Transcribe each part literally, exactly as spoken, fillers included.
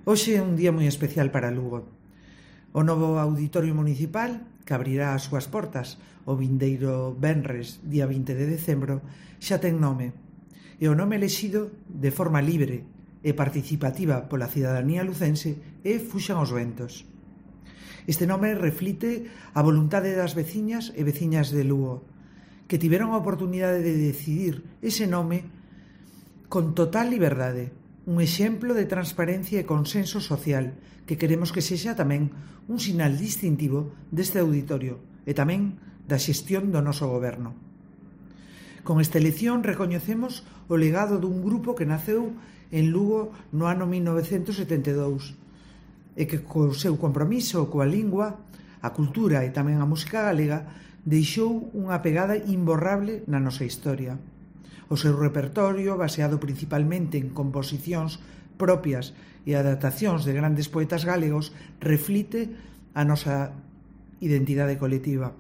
Hoxe é un día moi especial para Lugo. O novo Auditorio Municipal, que abrirá as súas portas o vindeiro venres, día vinte de decembro, xa ten nome. E o nome elexido de forma libre e participativa pola cidadanía lucense é Fuxan os ventos. Este nome reflite a voluntade das veciñas e veciñas de Lugo, que tiveron a oportunidade de decidir ese nome con total liberdade. Un exemplo de transparencia e consenso social que queremos que sexa tamén un sinal distintivo deste auditorio e tamén da xestión do noso goberno. Con esta elección recoñecemos o legado dun grupo que naceu en Lugo no ano mil novecentos setenta e dous e que co seu compromiso coa lingua, a cultura e tamén a música galega deixou unha pegada imborrable na nosa historia. O seu repertorio, baseado principalmente en composicións propias e adaptacións de grandes poetas galegos, reflite a nosa identidade colectiva.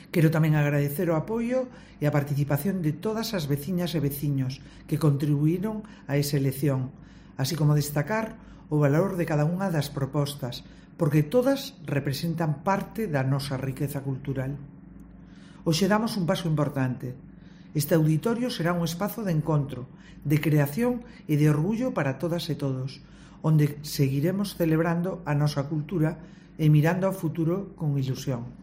Quero tamén agradecer o apoio e a participación de todas as veciñas e veciños que contribuíron a esa elección, así como destacar o valor de cada unha das propostas, porque todas representan parte da nosa riqueza cultural. Hoxe damos un paso importante. Este auditorio será un espazo de encontro, de creación e de orgullo para todas e todos, onde seguiremos celebrando a nosa cultura e mirando ao futuro con ilusión.